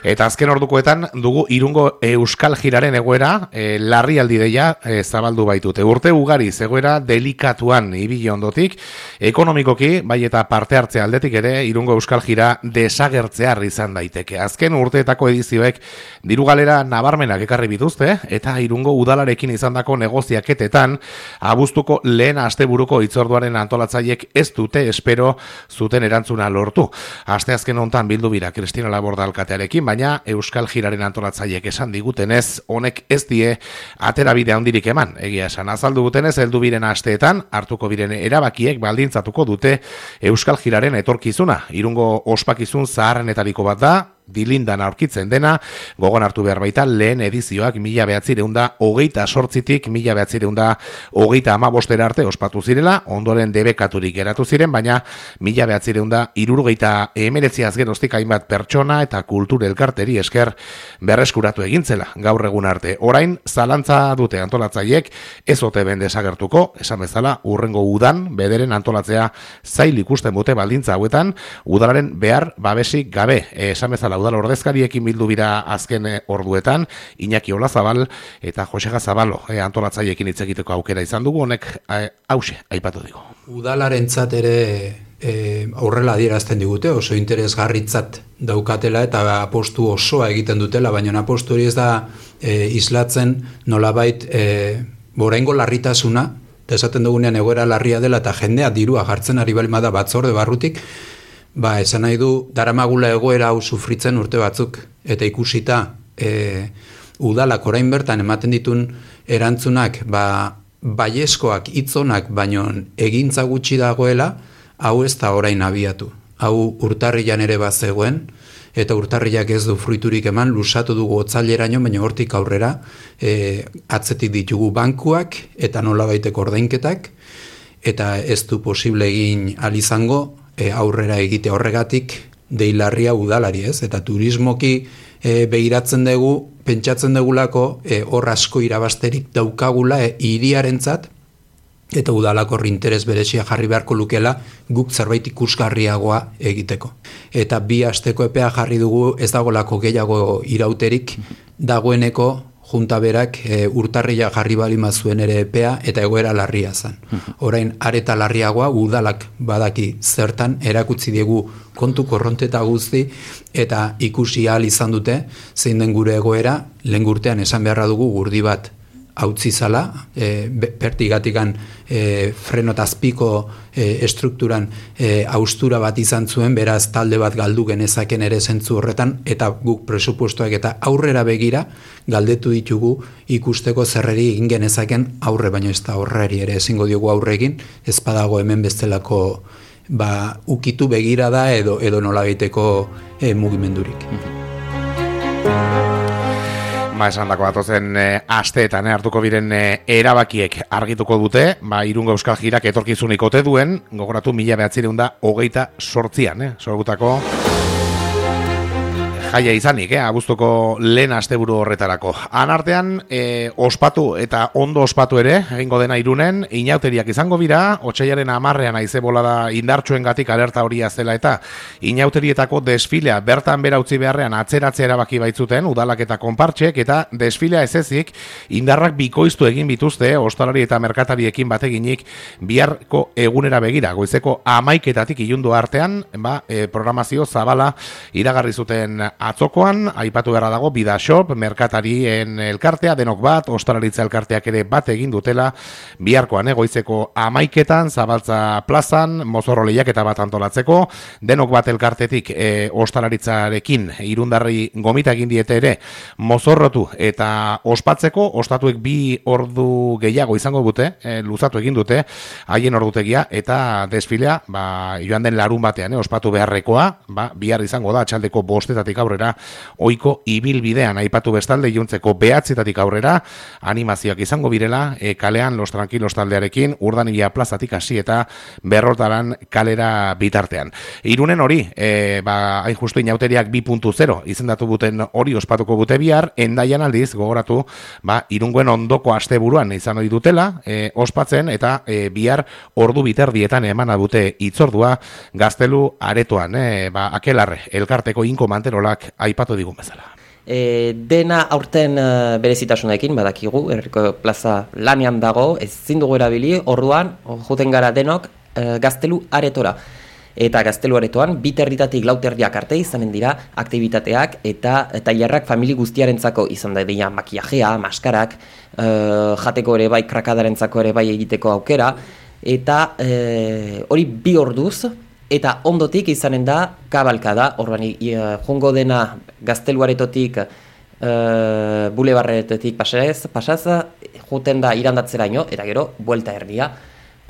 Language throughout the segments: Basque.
Eta azken ordukoetan dugu Irungo Euskal Jiraren egoera larrialdi deia zabaldu baitute. Urte ugari egoera delikatuan ibili ondotik, ekonomikoki, bai eta parte hartzea aldetik ere, Irungo Euskal Jira desagertzear izan daiteke. Azken urteetako edizioek diru galera nabarmenak ekarri bituzte, eta Irungo udalarekin izandako negoziaketetan, abuztuko lehen asteburuko hitzorduaren antolatzaiek ez dute espero zuten erantzuna lortu. Asteazken hontan bildu bira Kristina Laborda alkatearekin, baina Euskal Jiraren antolatzaiek esan digutenez, honek ez die aterabide handirik eman. Egia esan, azaldu gutenez, heldu biren asteetan, hartuko biren erabakiek baldintzatuko dute Euskal Jiraren etorkizuna. Irungo ospakizun zaharrenetariko bat da, dilindan aurkitzen dena, gogon hartu behar baita lehen edizioak 1928tik 1935 arte ospatu zirela, ondoren debekaturik geratu ziren, baina 1979 geroztik hainbat pertsona eta kultur elkarteri esker berreskuratu egintzela gaur egun arte. Orain, zalantza dute antolatzaiek, ez ote ben desagertuko, esan bezala, urrengo udan, bederen antolatzea zail ikusten dute baldintza hauetan, udalaren behar babesik gabe, esan bezala udal ordezkariekin bildu bira azken orduetan, Iñaki Olazabal eta Josega Zabalo antolatzaiekin hitz egiteko aukera izan dugu, honek hause aipatu digu. Udalarentzat ere aurrela adierazten digute, oso interesgarritzat daukatela eta apostu osoa egiten dutela, baina apostu hori ez da islatzen nolabait oraingo larritasuna, eta esaten dugunean egoera larria dela eta jendea dirua jartzen ari balima da batzorde barrutik, esan nahi du, daramagula egoera hau sufritzen urte batzuk, eta ikusita udalak orain bertan ematen ditun erantzunak, baiezkoak, hitzonak, baino egintza gutxi dagoela, hau ez da orain abiatu. Hau urtarrilan ere bazegoen, eta urtarrilak ez du fruiturik eman, lusatu dugu otzaileraino, baina hortik aurrera atzetik ditugu bankuak, eta nolabaiteko ordainketak, eta ez du posible egin alizango, aurrera egite horregatik deilarria udalari, ez? Eta turismoki begiratzen dugu, pentsatzen dugulako hor asko irabasterik daukagula hiriarentzat, eta udalako interes berezia jarri beharko lukela guk zerbait ikusgarriagoa egiteko. Eta 2 asteko epea jarri dugu, ez dagolako gehiago irauterik, dagoeneko junta berak urtarria jarri balima zuen ere epea eta egoera larria zen. Orain areta larriagoa udalak badaki zertan erakutsi diegu kontu korronteta guzti eta ikusi ahal izan dute zein den gure egoera, lehen urtean esan beharra dugu gurdi bat hautzi zala, pertigatikan frenotazpiko estrukturan austura bat izan zuen, beraz talde bat galdu genezaken ere zentzu horretan, eta guk presupuestoak eta aurrera begira galdetu ditugu ikusteko zerreri egin genezaken aurre, baino ez da horreri ere ezingo diogu aurregin, ez badago hemen bestelako ukitu begira da edo nolabiteko mugimendurik. Esan dako batozen asteetan hartuko biren erabakiek argituko dute, Irungo Euskal Jirak etorkizunik ote duen, gogoratu 1928an, sorgutako jaia izanik, abuztuko lehen asteburu horretarako. Anartean, ospatu eta ondo ospatu ere, egingo dena Irunen, inauteriak izango bira, otsailaren 10ean haize bolada indartsuengatik alerta horia zela eta inauterietako desfilea bertan bera utzi beharrean atzeratzea erabaki baitzuten, udalak eta konpartxek, eta desfilea ez ezik, indarrak bikoiztu egin bituzte, ostalari eta merkatariekin bateginik biharko egunera begira, goizeko 11etatik ilundu artean, programazio zabala iragarri zuten atzokoan, aipatu beharra dago, Bidashop, merkatarien elkartea, denok bat, ostalaritza elkarteak ere bat egin dutela, biharkoan, goizeko 11etan, Zabaltza plazan, mozorro lehiaketa bat antolatzeko, denok bat elkartetik ostalaritzarekin, irundarri gomita egin diete ere, mozorrotu eta ospatzeko, ostatuek 2 ordu gehiago izango dute, luzatu egin dute, haien ordutegia, eta desfilea, joan den larun batean, ospatu beharrekoa, bihar izango da, atxaldeko 5 aurrera, oiko ibilbidean aipatu bestalde iluntzeko 9 aurrera, animazioak izango birela, kalean Los Tranquilos taldearekin, Urdanibia plazatik hasi eta Berrotaran kalera bitartean. Irunen hori, hain justu inauteriak 2.0 izendatu buten hori ospatuko bute bihar, Endaian aldiz, gogoratu, Irungoen ondoko asteburuan izan hori dutela, ospatzen, eta bihar ordu biterdietan emana dute itzordua Gaztelu aretoan, Akelarre, elkarteko Inko Manterolak saioak aipatu digun bezala. Dena aurten berezitasunekin badakigu, Herriko Plaza lanean dago, ezin dugu erabili, orduan joten gara denok Gaztelu aretora. Eta Gaztelu aretoan, 2:00 4:00 arte izanen dira aktibitateak eta tailerrak famili guztiarentzako izan da dira makiajea, maskarak, jateko ere bai, krakadarentzako ere bai egiteko aukera, eta hori 2 orduz, eta ondotik izanen da kabalkada, orduan jongo dena Gaztelu aretotik, bulebarretotik pasaz, joten da irandatzeraino, eta gero, buelta erdia,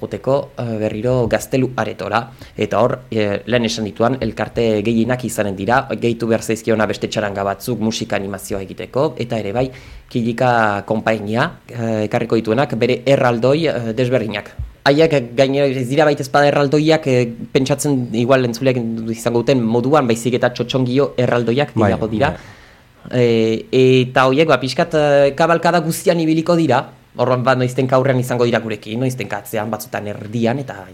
joteko berriro Gaztelu aretora, eta hor, lehen esan dituan, elkarte gehienak izanen dira, gehitu behar zaizkiona beste txaranga batzuk musika animazioa egiteko, eta ere bai, Kilika konpainia, ekarriko dituenak, bere erraldoi desberdinak. Haiek gainera ez dira baita espada erraldoiak pentsatzen igual entzuleak izango duten moduan, baizik eta txotxongio erraldoiak gehiago dira. Eta horiek pixkat kabalkada guztian ibiliko dira, horren noiztenka aurrean izango dira gurekin, noiztenka atzean batzutan erdian, eta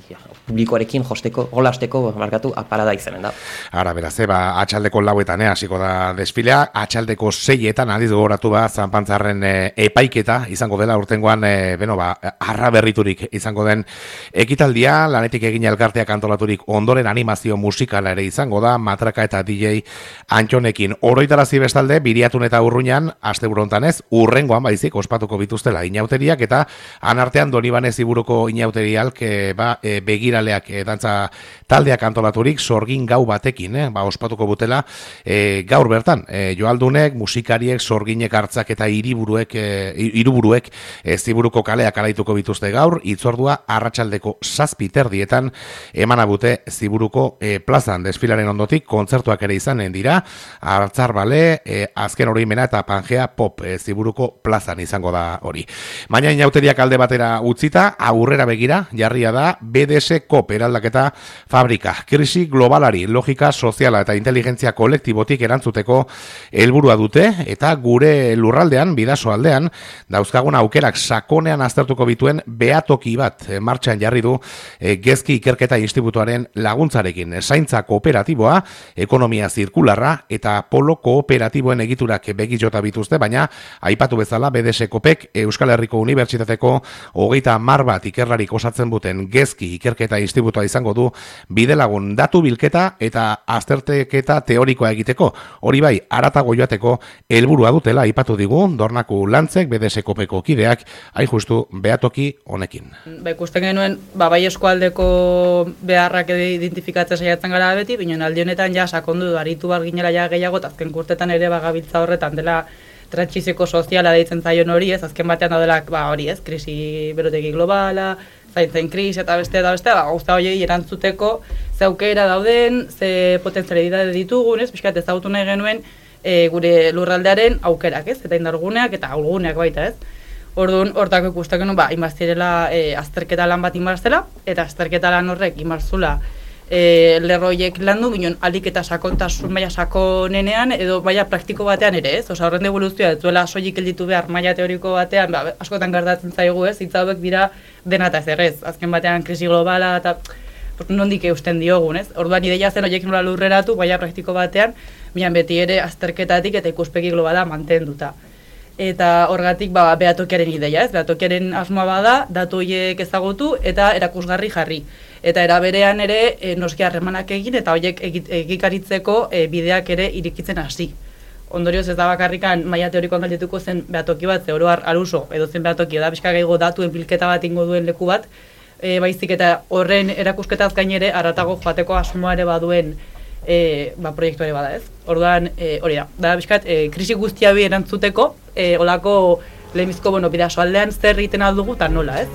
publikoarekin jolasteko markatu aparada izanen da. Ara, beraz, atxaldeko 4:00 hasiko da desfilea, atxaldeko 6:00 adiz gogoratu Zanpantzarren epaiketa izango dela urtengoan, arra berriturik izango den ekitaldia, lanetik egin elkarteak antolaturik ondoren animazio musikala ere izango da, Matraka eta DJ Antxonekin. Oroitarazi bestalde, Biriatun eta Urruñan, asteburu hontan ez, urrengoan baizik ospatuko bituztela inauteriak, eta anartean Donibane Ziburuko inauteriak begiraleak dantza taldeak antolaturik sorgin gau batekin, ospatuko butela gaur bertan, joaldunek, musikariek, sorginek hartzak eta hiriburuek Ziburuko kaleak alaituko bituzte gaur, itzordua arratsaldeko 7:00 emana bute Ziburuko plazan. Desfilaren ondotik kontzertuak ere izanen dira, Hartzar Bale, azken oroimena eta Pangea Pop Ziburuko plazan izango da hori. Baina inauteriak alde batera utzita, aurrera begira jarria da BDS Kop eraldaketa fabrika. Krisi globalari, logika soziala eta inteligentzia kolektibotik erantzuteko helburua dute, eta gure lurraldean, Bidaso aldean, dauzkagun aukerak sakonean aztertuko bituen behatoki bat martxan jarri du Gezki Ikerketa Institutuaren laguntzarekin. Zaintza kooperatiboa, ekonomia zirkularra eta polo kooperatiboen egiturak begijota bituzte, baina aipatu bezala BDS Kopek Euskal Herriko Unibertsitateko 30 bat ikerlarik osatzen buten Gezki Ikerketa Institutua izango du bidelagun datu bilketa eta azterteketa teorikoa egiteko. Hori bai, haratago joateko helburua dutela aipatu digu Dornaku Lantzek BDS Kopeko kideak, hain justu behatoki honekin. Ikusten genuen, bai eskualdeko beharrak identifikatzen saiatzen gara beti, binen aldi honetan ja sakondu aritu barginela ja gehiago, eta azken kurtetan ere gabiltza horretan dela trantsizio soziala deitzen zaion hori, azken batean daudela hori krisi berotegi globala, zaintzen krisi eta beste, gauza horiei erantzuteko ze aukera dauden, ze potentzialidade ditugun, pixkat ezagutu nahi genuen gure lurraldearen aukerak, eta indarguneak eta ahulguneak baita, Orduan, hortako ikusten genuen, inbaztirela azterketa lan bat inbarzela, eta azterketa lan horrek inbarzula lerroiek landu, ginen alik eta sakontasun maila sakonenean, edo maila praktiko batean ere, horren devoluzioa, ez duela soilik elditu behar maila teoriko batean, askotan gertatzen zaigu hitz hauek dira dena eta ez, azken batean krisi globala, eta nondik eusten diogun, Orduan, ideia zen horiek nola lurreratu, maila praktiko batean, bian beti ere azterketatik eta ikuspegi globala mantenduta. Eta horgatik behatokiaren ideia, behatokiaren asmoa bada, datu horiek ezagutu eta erakusgarri jarri. Eta era berean ere noski harremanak egin eta horiek egikaritzeko bideak ere irikitzen hasi. Ondorioz ez da bakarrikan maila teorikoan galdetuko zen behatoki bat, ze oro har aluso edo zen behatoki da pixka gehiago datuen bilketa bat ingo duen leku bat, baizik eta horren erakusketaz gain ere haratago joateko asmoa ere baduen proiektu ere bada, Orduan, hori da bizkat, krisi guztia bi erantzuteko, olako lehenbizko, Bidaso aldean zer egiten aldugu eta nola,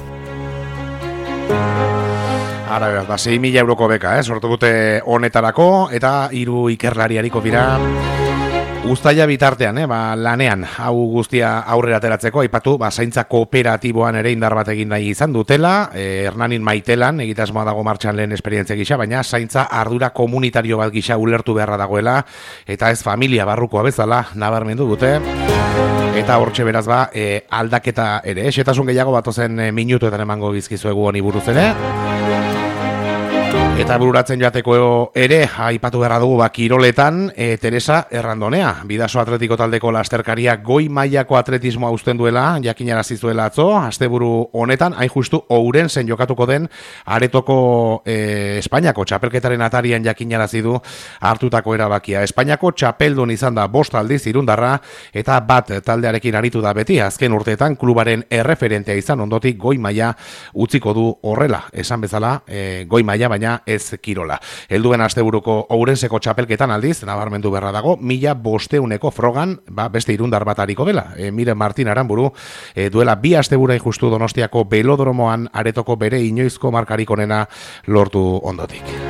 Ara, beraz, 6.000 euroko beka, sortu dute honetarako, eta 3 ikerlariariko dira uztaila bitartean, lanean, hau guztia aurrera ateratzeko, aipatu, zaintza kooperatiboan ere indar bat egin nahi izan dutela, Hernanin Maitelan, egitasmoa dago martxan lehen esperientzia gisa, baina zaintza ardura komunitario bat gisa ulertu beharra dagoela, eta ez familia barrukoa bezala, nabarmendu dute, eta hortxe beraz aldaketa ere, xetasun gehiago batozen minutuetan emango bizkizuegu honi buruz ere, Eta bururatzen joateko ere, aipatu beharra dugu kiroletan, Teresa Errandonea, Bidaso Atletiko taldeko lasterkaria goi mailako atletismoa uzten duela, jakinarazi zuela atzo, asteburu honetan, hain justu Ourensen jokatuko den aretoko Espainiako txapelketaren atarian jakinarazi du hartutako erabakia. Espainiako txapeldun izan da 5 aldiz irundarra, eta bat taldearekin aritu da beti, azken urteetan klubaren erreferentea izan ondotik goi maila utziko du horrela, esan bezala goi maila baina ez kirola. Helduen asteburuko Ourenseko txapelketan aldiz, nabarmendu berra dago, 1500 frogan, beste irundar bat hariko dela. Miren Martin Aranburu, duela 2 astebura justu Donostiako belodromoan aretoko bere inoizko markarik onena lortu ondotik.